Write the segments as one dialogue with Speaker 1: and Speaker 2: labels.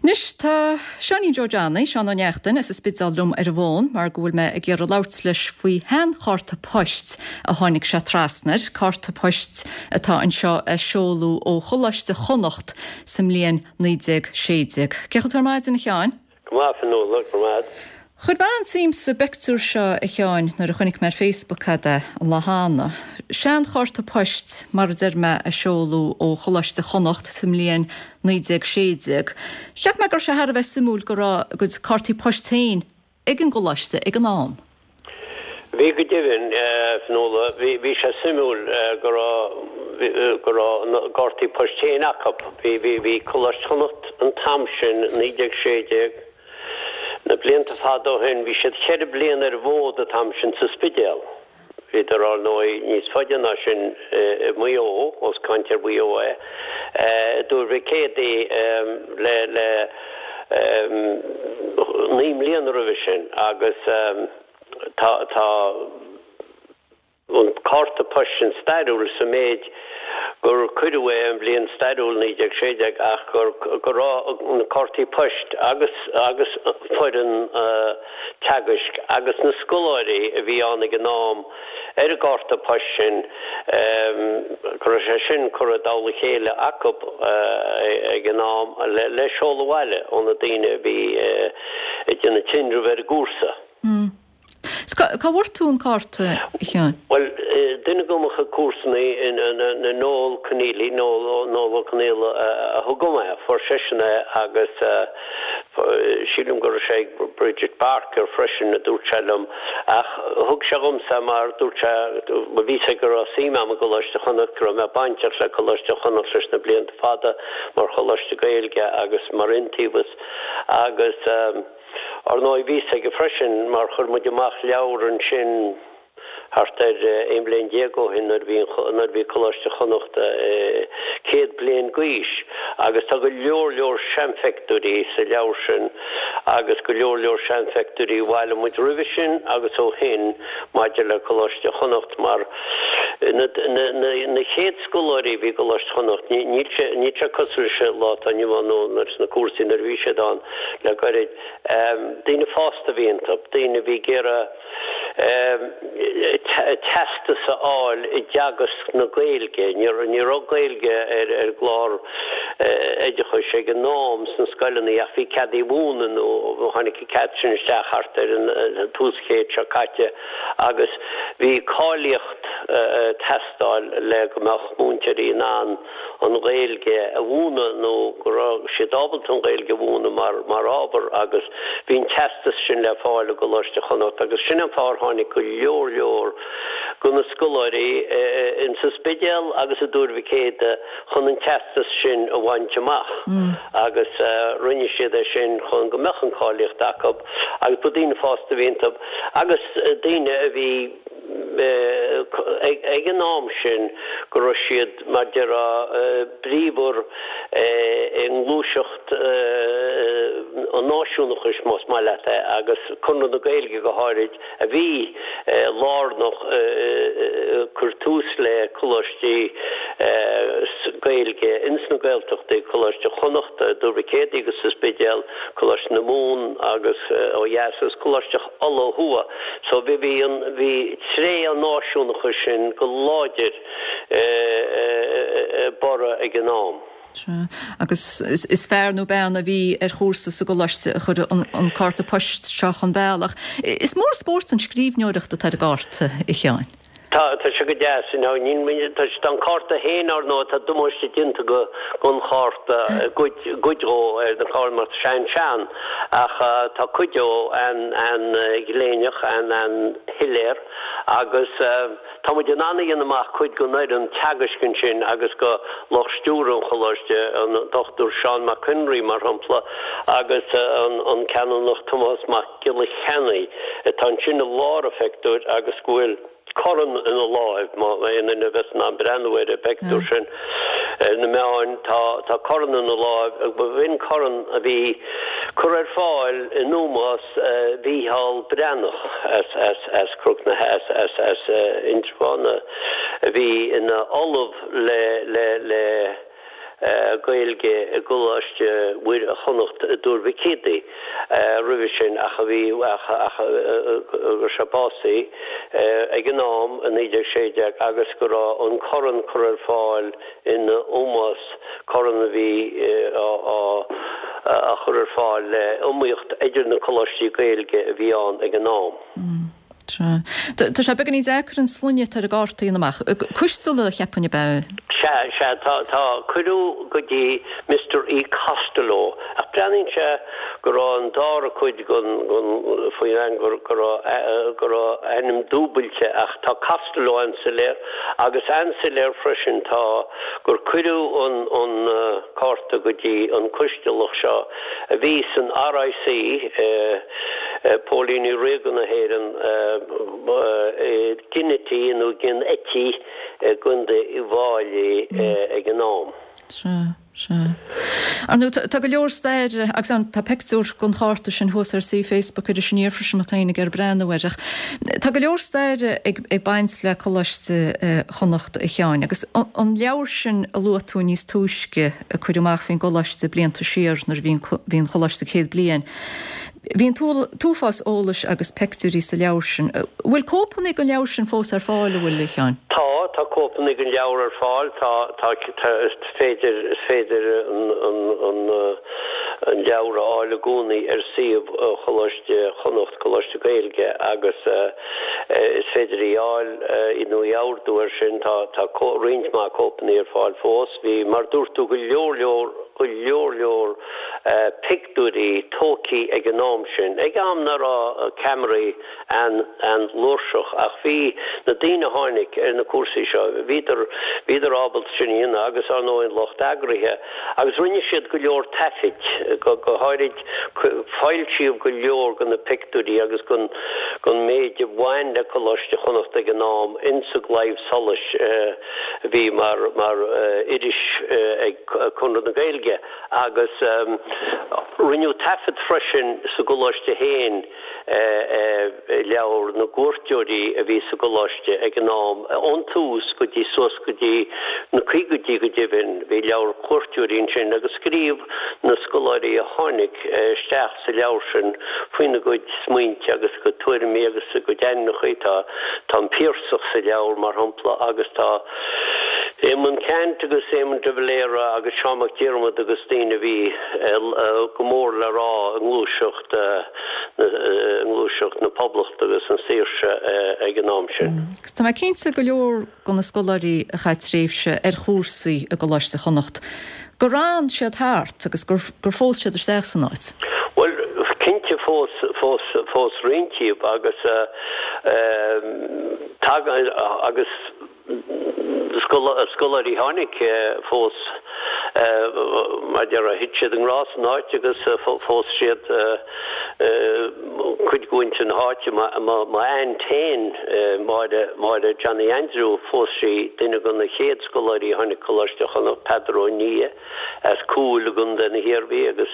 Speaker 1: Anois, tá Seáinín Joe Johnny, Seán Ó Neachtain, as an Spidéal liom ar an bhfón mar go bhfuil mé ag iarraidh labhairt leis faoi sheanchárta poist a tháinig sé trasna air, cárta poist atá anseo a seoladh ó Choláiste Chonnacht sa mbliain 1916. Cén chaoi a bhfuil tú ar maidin, a Sheáin?
Speaker 2: Go maith, a Fionnuala, go raibh maith agat.
Speaker 1: Chuir mé an-suim sa bpictiúr seo, a Sheáin, nuair a chonaic mé ar Facebook é an lá cheana. Seanchárta poist, mar a deir mé, a seoladh ó Choláiste Chonnacht sa mbliain 1916. Cheap mé go raibh sé thar a bheith suimiúil go raibh a gcuid cártaí poist féin ag an gcoláiste ag an am.
Speaker 2: Bhí go deimhin, a Fionnuala. Bhí, bhí sé suimiúil go raibh, go raibh na gcártaí poist féin acu. Bhí, bhí, bhí Coláiste Chonnacht an t-am sin, 1916, na blianta fada ó shin, bhí siad cheithre bliana ar an bhfód an t-am sin sa Spidéal. Bhíodar, ar ndóigh, níos faide ná sin i Maigh Eo, ós caint ar Mhaigh Eo é, i dTuar Mhic Éadaigh le le 9 mbliana roimhe sin agus tá tá an cárta poist sin stairiúil sa méid gur cuireadh é an bhliain stairiúil 1916 ach gur go raibh na cártaí poist agus agus foireann teagaisc agus na scoláirí a bhí ann ag an am ar an gcárta poist sin go raibh sé sin curtha i dtoll a chéile acu ag an am le seoladh abhaile ó na daoine a bhí ag déanamh tinreamh ar an gcúrsa.
Speaker 1: Cá bhfuair tú an cárta, a Sheáin?
Speaker 2: Bhuel, duine de mo chuid comharsanaí, Noel Conneely, Noel Ó Conaola, a thug dom é. Fuair seisean é agus sílim go raibh sé ag Bridget Barker freisin, a dúirt sé liom. Ach thug sé dhomsa é mar dúirt sé, bhuel bhí a fhios aige go raibh suim agam i gColáiste Chonnacht, go raibh mé bainteach le Coláiste Chonnacht leis na blianta fada mar choláiste Gaeilge agus mar iontaobhas agus, Ar ndóigh, bhí a fhios aige freisin, mar chuir muid amach leabhar ansin thart ar 11 bliain ó shin nuair a bhí nuair a bhí Coláiste Chonnacht 100 bliain d'aois agus tá go leor leor seanphictiúirí sa leabhar sin agus go leor leor seanphictiúirí a bhailigh muid roimhe sin agus ó shin maidir le Coláiste Chonnacht mar na na chéad scoláirí a bhí i gColáiste Chonnacht níl sé níl sé cosúil leis an lá atá inniu ann nó sna cúrsaí nuair a bhí siad ann. Le gairid. Daoine fásta a bhí iontu, daoine a bhí ag iarraidh teastas a fháil i dteagasc na Gaeilge. Ní raibh Gaeilge ar an gclár oideachais ag an am sna scoileanna ach bhí cead í a mhúineadh nó tháinig an cead sin isteach thart ar an tús chéid seo caite agus bhí cáilíocht ag teastáil le go mbeadh múinteoirí in ann an Ghaeilge a mhúineadh nó go raibh siad ábalta an Ghaeilge a mhúineadh mar mar ábhar agus bhí an teastas sin le fáil i gColáiste Chonnacht agus sin an fáth ar tháinig go leor leor de na scoláirí insa Spidéal agus i dTuar Mhic Éadaigh chun an teastas sin a bhaint amach agus rinne siad é sin chun go mbeadh an cáilíocht acu agus ba daoine fásta a bhí iontu agus daoine a bhí ag an am sin go raibh siad, mar déarfá, bríomhar i ngluaiseacht an náisiúnachais, más maith leat é, agus Conradh na Gaeilge go háirid, a bhí lárnach ag cur tús le coláistí Gaeilge ins na Gaeltachtaí, Coláiste Chonnacht i dTuar Mhic Éadaigh agus sa Spidéal, Coláiste na Mumhan agus ó dheas agus Coláiste Uladh ó thuaidh. So bhí, bhí an, bhí tréith an náisiúnachais sin go láidir ag borradh ag an am.
Speaker 1: Sea. Agus is fear nó bean a bhí ar chúrsa sa gcoláiste a chuir an cárta poist seo chun bealaigh. Is mór spórt an scríbhneoireacht atá ar an gcárta, a Sheáin.
Speaker 2: Tá, tá sé go deas, you know, níl muid, tá sé, tá an cárta féin, ar ndóigh, tá damáiste déanta go, gon chárta, cuid, cuid dhó ar na cártaí mar tá sé an-sean, ach tá cuid dhó an, an-ghléineach, an, an-shoiléir agus tá muid in ann a dhéanamh amach cuid gon fhoireann teagaisc ansin agus go lucht stiúrtha an choláiste, an Dr Seán Mac Conraoi, mar shampla, agus an, an Canónach Tomás Mac. Giolla Cheannaigh, atá ansin i lár an phictiúir agus go bhfuil corn ina láimh, má aon duine a bheas in ann breathnú ar an bpictiúr sin ar na meáin, tá tá corn ina láimh, b'in corn a bhí curtha ar fáil in ómós Mhícheál Breathnach as as as Cnoc na as as as Indreabhán a bhí ina ollamh le le le. Gaeilge i gColáiste Mhuire Chonnacht i dTuar Mhic Éadaigh roimhe sin ach a bhí ach ach go raibh sé básaithe ag an am i 1916 agus go raibh an corn curtha ar fáil ina ómós, corn a bhí á chur ar fáil le iomaíocht idir na coláistí Gaeilge a bhí ann ag an am.
Speaker 1: Sea. Tá sé beagáinín deacair an sloinne atá ar an gcárta a dhéanamh amach. Coisteala, cheapfainn, ab ea?
Speaker 2: Sea, sea, tá, tá, cuireadh go dtí Mister E. Costello, ach breathnaíonn sé go raibh an dara cuid den, den, faoin ainm, go, go raibh, go raibh ainm dúbailte ach tá Costello an-soiléir agus an-soiléir freisin tá gur cuireadh an, an cárta go dtí an Coistealach seo a bhí san RIC, Póilíní Ríoga na hÉireann, Ginnity nó Ginn Eití i gContae Uíbh Fhailí ag an am.
Speaker 1: Sea, sea. Ar ndóigh, tá go leor staire agus tá peictiúr den chárta sin thuas ar suíomh Facebook Iris Aniar freisin má tá éinne ag iarraidh breathnú air. Ach tá go leor staire ag baint le Coláiste Chonnacht a Sheáin agus an leabhar sin a luaigh tú níos túisce a cuireadh amach faoin gcoláiste blianta siar nuair a bhí an choláiste 100 bliain. Bhí an t-uafás eolais agus peictiúirí sa leabhar sin. An bhfuil cóipeanna den leabhar sin fós ar fáil, an bhfuil, a Sheáin?
Speaker 2: Tá, tá cóipeanna den leabhar ar fáil. Tá, tá, tá, is féidir, is féidir an, an, an, an leabhar a fháil i gcónaí ar suíomh Choláiste Chonnacht, Coláiste Gaeilge, agus is féidir í a fháil nó í a ordú air sin. Tá, tá roinnt mhaith cóipeanna ar fáil fós. Bhí, mar dúirt tú, go leor leor, go leor leor pictiúirí tógthaí ag an am sin, ag am nach raibh ceamaraí an-fhlúirseach ach bhí na daoine a tháinig ar na cúrsaí seo, bhíodar, bhíodar ábalta sin a dhéanamh agus ar ndóigh an lucht eagraithe agus rinne siad go leor taifid, go háirid foilsíodh go leor de na pictiúirí agus den, den méid a bhain le Coláiste Chonnacht ag an am insa gClaidheamh Soluis a bhí mar, mar iris ag Conradh na Gaeilge. Agus rinneadh taifead freisin sa gcoláiste féin i leabhar na gcuairteoirí a bhí sa gcoláiste ag an am, ón tús go dtí suas go dtí na caogaidí go deimhin, bhí leabhar cuairteoirí ansin agus scríobh na scoláirí a tháinig isteach sa leabhar sin faoina gcuid smaointe agus a gcuid tuairimí agus a gcuid ainmneacha. Tá tá an Piarsach sa leabhar, mar shampla, agus tá. Éamonn Ceannt agus Éamon de Valera agus Seán Mac Diarmada agus daoine a bhí go mór le rá i ngluaiseacht i ngluaiseacht na Poblachta agus na saoirse ag an am sin.
Speaker 1: Agus tá mé cinnte go leor de na scoláirí a chaith tréimhse ar chúrsaí i gColáiste Chonnacht gur fhan siad thart agus gur gur phós siad isteach san áit.
Speaker 2: Bhuel, cinnte phós phós phós roinnt díobh agus tagann agus Scoláirí tháinig phós mar a déarfá, thit siad i ngrá san áit agus phós siad cuid de mhuintir na háite. M'aint féin, Máire, Máire Johnny Aindriú, phós sí duine de na chéad scoláirí a tháinig Coláiste Chonnacht, Peadar Ó Nia. as Cúil i gContae na hIarmhí agus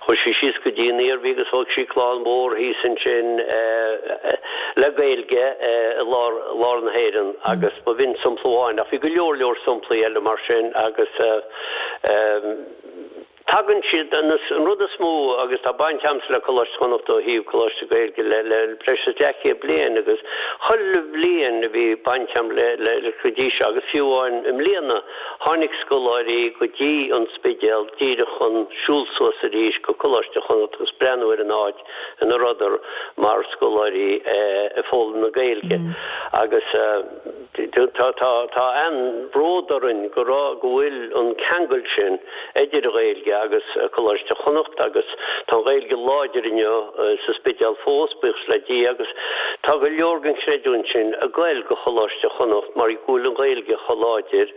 Speaker 2: chuaigh sí síos go dtí an Iarmhí agus thóg sí clann mhór thíos ansin le Gaeilge i lár lár na hÉireann agus b'in sampla amháin ach bhí go leor leor samplaí eile mar sin agus tagann siad an rud is mó agus tá baint agamsa le Coláiste Chonnacht ó thaobh Coláiste Gaeilge le le breis is leathchéad bliain agus chuile bhliain a bhí baint agam le le go dtí seo agus fiú amháin i mbliana Tháinig scoláirí go dtí an Spidéal díreach chun siúl suas arís go Coláiste Chonnacht agus breathnú ar an áit ina rabhadar mar scoláirí ag foghlaim na Gaeilge agus tá tá tá an-bhród orainn go raibh go bhfuil an ceangal sin idir an Ghaeilge agus Coláiste Chonnacht agus tá an Ghaeilge láidir inniu sa Spidéal fós, buíochas le Dia, agus tá go leor den chreidiúint sin ag goil go Choláiste Chonnacht mar go bhfuil an Ghaeilge chomh láidir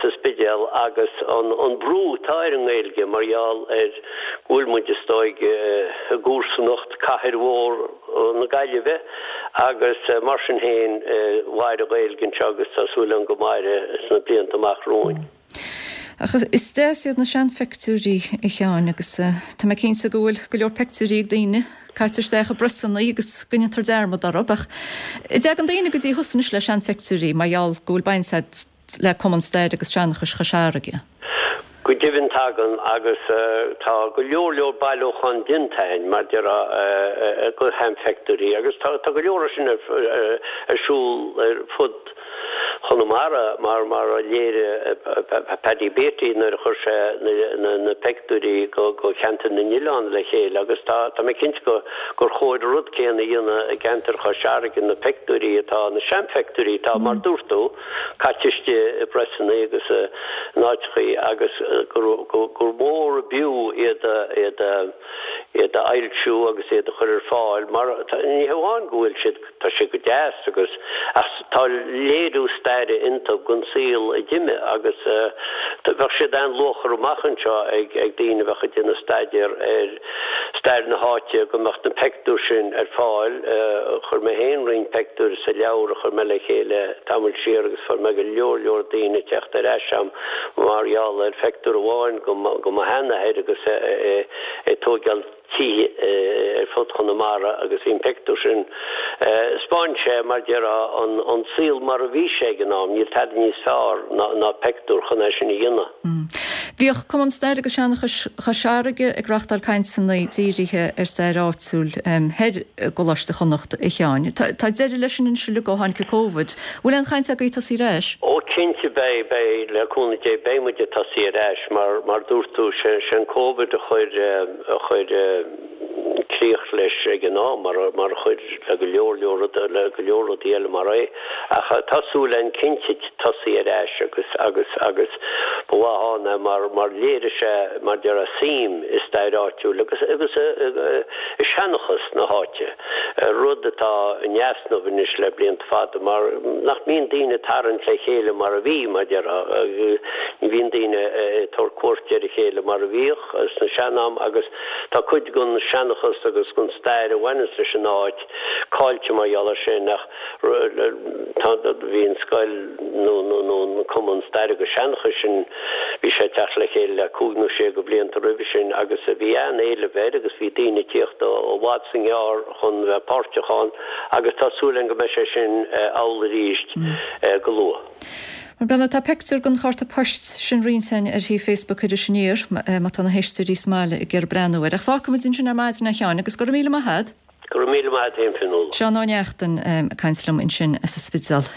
Speaker 2: sa Spidéal agus an brú atá ar an nGaeilge mar gheall ar go bhfuil muid is dóigh i gcomharsanacht cathair mhór na Gaillimhe agus mar sin féin mhair an Ghaeilge anseo agus tá súil agam go mairfidh sna blianta amach romhainn.
Speaker 1: Ach is deas iad na seanpheictiúirí, a Sheáin, agus tá mé cinnte go bhfuil go leor peictiúirí ag daoine caite isteach i bpriosanna agus go ndéantar dearmad orthu. Ach an dtagann daoine go dtí thusa anois le seanpheictiúirí mar gheall go bhfuil baint agat le Cumann Staire agus Seanchais Chois Fharraige?
Speaker 2: Go deimhin tagann agus tá go leor leor bailiúchán déanta a'inn mar déarfá de sheanphictiúirí agus tá go leor sin ar siúl ar fud Chonamara mar mar a léirigh Paddy Beatty nuair a chuir sé na pictiúirí go Cheantar na nOileán le chéile agus tá tá mé cinnte go gur chóir an rud céanna a dhéanamh i gceantar Chois Fharraige na pictiúirí atá na seanphictiúirí atá mar dúirt tú caite istigh i bpreasanna agus in áiteachaí agus gur gur mhór ab fhiú iad a iad a iad a fhoilsiú agus iad a chur ar fáil mar ní hamháin go bhfuil siad tá siad go deas agus ach tá léiriú staire iontu den saol a d'imigh agus bheadh siad an-luachmhar amach anseo ag ag daoine a bheadh ag déanamh staidéar ar stair na háite go mbeadh na peictiúir sin ar fáil. Chuir mé féin roinnt peictiúir sa leabhar a chuir mé le chéile tamall siar agus fuair mé go leor leor daoine ag teacht ar ais a'm mar gheall ar pheictiúr amháin go mo sheanathair agus é ag tóigeáil tithe ar fud Chonamara agus bhí an peictiúr sin, 'spáin sé, mar déarfá, an saol mar a bhí sé ag an am, níl tada níos fearr ná peictiúr chun é sin a dhéanamh.
Speaker 1: Bhíodh Cumann Staire agus Seanchais Chois Fharraige ag reachtáil cainteanna dírithe ar stair áitiúil thoir i gColáiste Chonnacht, a Sheáin. Tá deireadh leis sin anois uilig ó tháinig an Covid. Bhfuil aon chaint agaibh tosaí ar ais?
Speaker 2: Ó cinnte beidh, beidh, le cúnamh Dé beidh muid ag tosaí ar ais mar, mar dúirt tú, sé an Covid a chuir, a chuir críoch leis ag an am, mar mar a chuir le go leor leor rudaí, le go leor rudaí eile mar é. Ach tá súil againn cinnte tosaí ar ais agus agus agus ba mhaith ann é mar mar léirigh sé mar déarfá suim i stair áitiúil agus agus i seanchas na háite, rud atá in easnamh anois le blianta fada mar nach mbíonn daoine ag tarraingt le chéile mar a bhí, mar déarfá, ní bhíonn daoine ag tabhairt cuairt ar a chéile mar a bhíodh. sna sean-am agus tá cuid den seanchas agus den stair a bhaineas leis an áit caillte mar gheall air sin ach tá bhí an scoil nó nó nó an cumann staire agus seanchais sin bhí sé ag teacht le chéile le cúig nó sé de bhlianta roimhe sin agus bhí an-éileamh air agus bhí daoine ag tíocht ó i bhfad 's i ngearr chun bheith páirteach ann agus tá súil againn go mbeidh sé sin amhlaidh arís go luath.
Speaker 1: Mar breathnaigh, tá peictiúr den chárta poist sin roinnte againn ar shuíomh Facebook Iris Aniar, má tá na héisteoirí sa mbaile ag iarraidh breathnú air. Ach fágfaimid ansin ar maidin é a Sheáin, agus go raibh míle maith a'd.
Speaker 2: Go raibh míle maith a'd féin, Fionnuala.
Speaker 1: Seán Ó Neachtain ag caint liom ansin as an Spidéal.